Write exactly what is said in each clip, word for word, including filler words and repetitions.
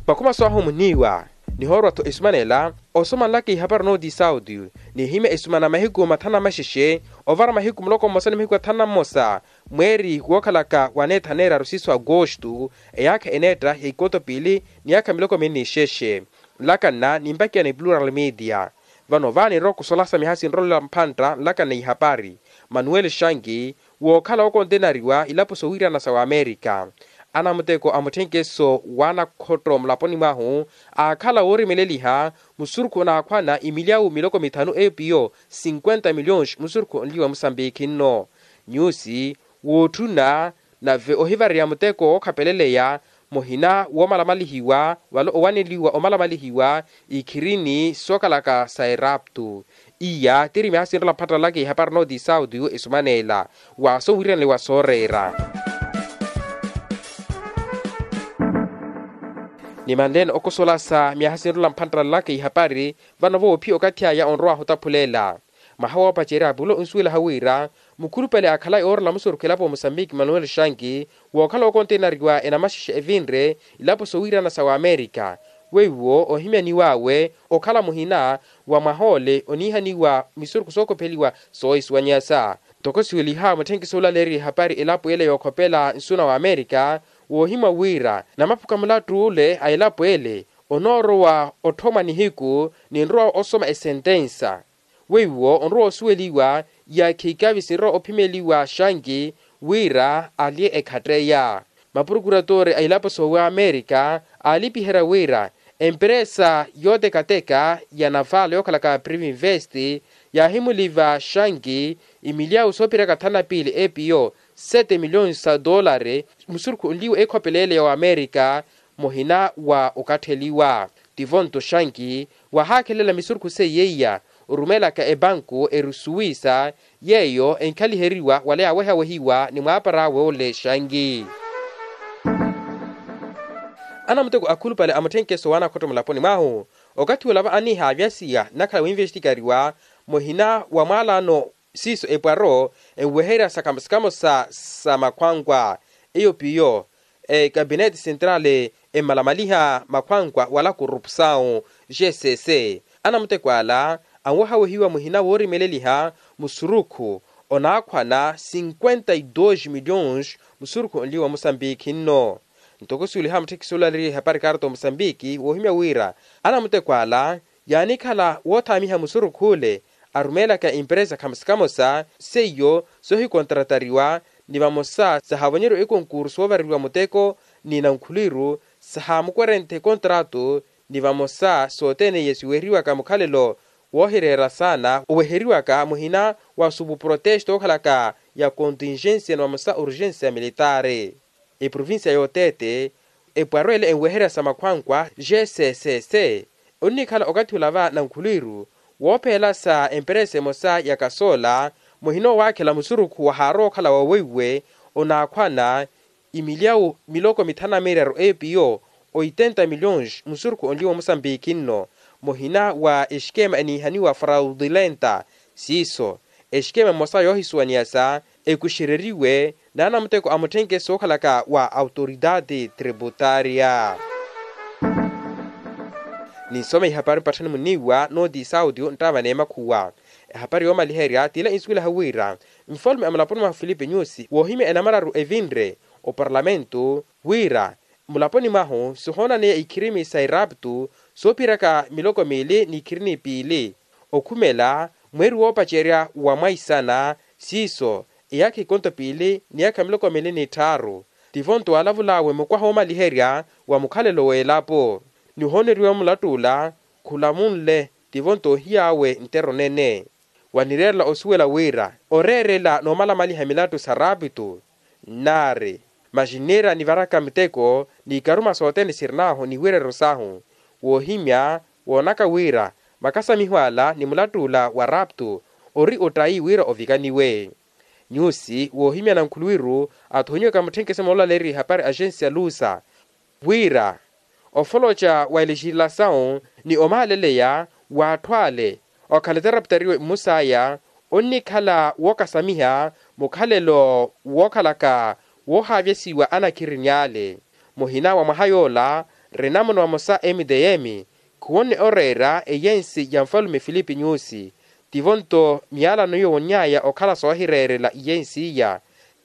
Makhuma soohumuniwa nihoorwa-tho esuma nela, osoma nlaka ihapari nooti sauti, nihimya esuma na mahiku mathanu na maxexe, ovara mahiku muloko mmosa ni mahiku athanu na mmosa, mweeri wookhalaka wa neetha neeraru siiso agosto, eyaakha eneetta ya ikoto piili, ni yaakha miloko miili ni xexe. Nlaka nna nimpakiya ni plural media. Vano vaanirwa okusolasa miyaha sinrolela mphantta nlaka nna ihapari, manuel shangi, wookhala wookontenariwa ilapo sowiirana sa wamerika. Anamuteko a mutthenkeso w'anakhotto mulaponi mwahu, aakhala woorimeleliha musurukhu onaakhwana imilyawu miloko mithanu epiyo cinquenta milhões musurukhu onliwa musambikhi nno. Nyusi wootthuna nave ohivareya muteko wookhapeleleya muhina woomalamalihiwa, wala owaneliwa omalamalihiwa ikhirini sookhalaka sa eraptu. Iya tiri miyaha sinrola mphattalaka ihapari nooti sauti yu esumaneela wa sowiiraneliwa sooreera. Ni manleene okosolasa miyaha sinrola mphattalaka ihapari, vano voophiya okathi aya onrowahu otaphulela. Mwaha woopacerya pulo onsuwelaha wira mukhulupale aakhalayi oorela musurukhu elapo musambiki manuel shanki, wookhala wookontenariwa enamaxexe evinre ilapo sowiirana sa wamerika, weiwo ohimyaniw'awe okhala muhina wa mwaha ole oniihaniwa misurukhu sookhopeliwa soohisuwanyasa. Ntoko siweliha mutthenkiso olaleeriwa ehapari elapo ele yookhopela nsu na wamerika, woohimwa wira namaphuka mulattu ole a elapo ele onoorowa otthomwa nihiku, ninrowa osoma esentensa. Weiwo onrowa osuweliwa iyaakhi ikavi sinrowa ophimeliwa shanki wira alye ekhatteya. Mapurukuratore a ilapo soowamerika aalipiherya wira emperesa yootekateka ya navala yookhalaka privinvest yaahimuliva shanki imilyawu soophiryaka thanu na piili epiyo sete milhões sa dollari musurukhu onliwa ekhopelele ya wamerika, muhina wa okattheliwa. Tivonto shanki wahaakhelela misurukhu seiya iya orumelaka epanku erusuwisa, yeeyo enkhaliheriwa wala yaawehawehiwa ni mwaapar'awe ole shanki. Anamuteko akhulupale a mutthenkeso w'anakhotto mulaponi mwahu okathi olava aniihaavyasiya nnakhala winvestikariwa muhina wa mwaalano siiso epwaro enweherya sakhamo sakhamo sa makhwankwa, eyo piyo ekapinete sentrale emmalamaliha makhwankwa wala korupsawu. G c c anamuteko ala anwehawehiwa muhina woorimeleliha musurukhu onaakhwana cinquenta y dos milhões musurukhu onliwa musambikhi nno. Ntoko suweliha mutthekisi olaleeriwa ehapari karto musambiki woohimya wira anamuteko ala yaanikhala woothaamiha musurukhu ole arumeelaka emperesa khamosa khamosa seiyo soohikontratariwa ni vamosa sahaavonyeriwa ekonkursu oovareriwa muteko ni nankhuliru sahaamukwerenthe ekontratu ni vamosa sothene iye siweheriwaka mukhalelo woohireera saana oweheriwaka muhina wa supuprotesta ookhalaka ya contingensia ni vamosa urgensia militaari. Eprovincia y'otete epwaro ele enweherya sa makhwankwa g c c c onnikhala okathi olava nankhuliru woopheyelasa emperesa emosa ya kasola muhina owaakhela musurukhu wahaarowa okhala wa weiwe onaakhwana imilyawu miloko mithanu na miraru epiyo oitenta milhões musurukhu onliwa omusambiki nno muhina wa exikema eniihaniwa fraudulenta siiso exikema emosa yoohisuwaniyasa ekuxereriwe n'anamuteko a mutthenkeso wookhalaka wa autoridade tributaria. Ninsoma ihapari mpatthani muniiwa nooti sauti nttaava n'emakhuwa. Ehapari yoomaliherya t'ila insuwelaha wira nfalume a mulaponi mwahu filipe nyusi woohimya enamararu evinre oparlamentu wira mulaponi mwahu sihoonaneya ikhirimi sa eraptu soophiryaka miloko miili n'ikhirini piili okhumela mweeri woopacerya wa mwaisana siiso eyaakha ikonto piili ni yaakha miloko miili n'itthaaru. Tivo nto waalavul'awe mukwaha woomaliherya wa mukhalelo w'elapo nihooneriwa mulatt'ula khulamunle tivo nto ohiy'awe nttero nene wanireerela osuwela wira oreerela n'omalamaliha milattu sa raapitu nnaari maxinniira nivaraka muteko n'ikaruma sothene sirin'ahu n'iwireero s'ahu woohimya woonaka wira makasamiho ala ni mulatt'ula wa raapitu ori ottayi wira ovikaniwe. Nyusi woohimya nankhuluwiru athoonyiwaka mutthenkeso moolaleeriwa ihapari axensi ya lusa wira ofoloca wa elexirilasawu ni omaaleleya w'atthu ale okhala etarapitariwe mmus'aya onnikhala wookasamiha mukhalelo wookhalaka woohaavyasiwa anakhirini ale muhina wa mwaha yoola Renamoni vamosa mtm khuwonne oreera eyensi ya nfalume filipi nyusi. Tivo-nto miyalano yowonny'aya okhala soohireerela iyensi iya.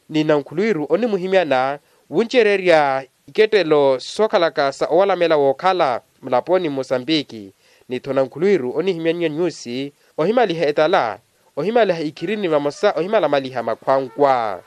Ni nankhulwiru onimuhimyana wuncererya ikettelo sookhalaka sa owalamela wookhala mulaponi mmosambiki. Ni-tho nankhulwiru onihimyannya nyusi ohimaliha etala, ohimaliha ikhirini vamosa ohimalamaliha makhwankwa.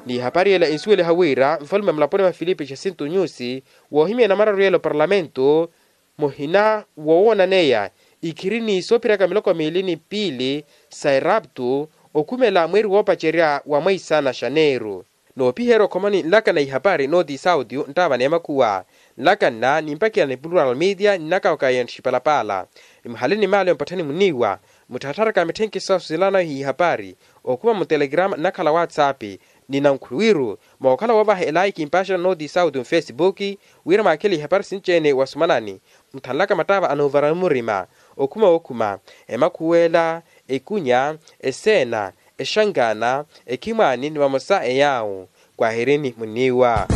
Ni ehapari ela ensuweliha wira nfalume mulaponi mwa filipi jasinto nyusi woohimya enamararu yela oparlamento muhina wowoonaneya ikhirini soopiraka miloko miili ni piili sa eraptu okhumela mweeri woopacerya wa mweisa na xaneeru. Noopiherya okhomani nlaka na ihapari nooti sauti nttaava n'emakhuwa nlaka nna nimpakhiya ni plural media nnakawaka yentthi xipalapaala. Nimuhale ni maale mpatthani muniiwa mutthattharaka mitthenkhi sasu silanayo ihapari okhuma mutelegrama nnakhala whatsapp. Ni nankhuluwiru mookhala woovaha elaiki mpaaxela nooti sauti mfesipuki wira mwaakhele ihapari sinci-ene wasumanani. Mutthanlaka mattaava anoovara murima okhuma wookhuma emakhuwela, ekunya, eseena, exankaana, ekhimwaani ni vamosa eyaawo. Kwahirini muniiwa.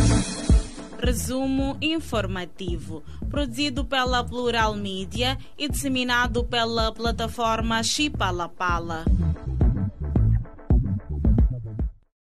Resumo informativo, produzido pela plural media e disseminado pela plataforma xipalapala.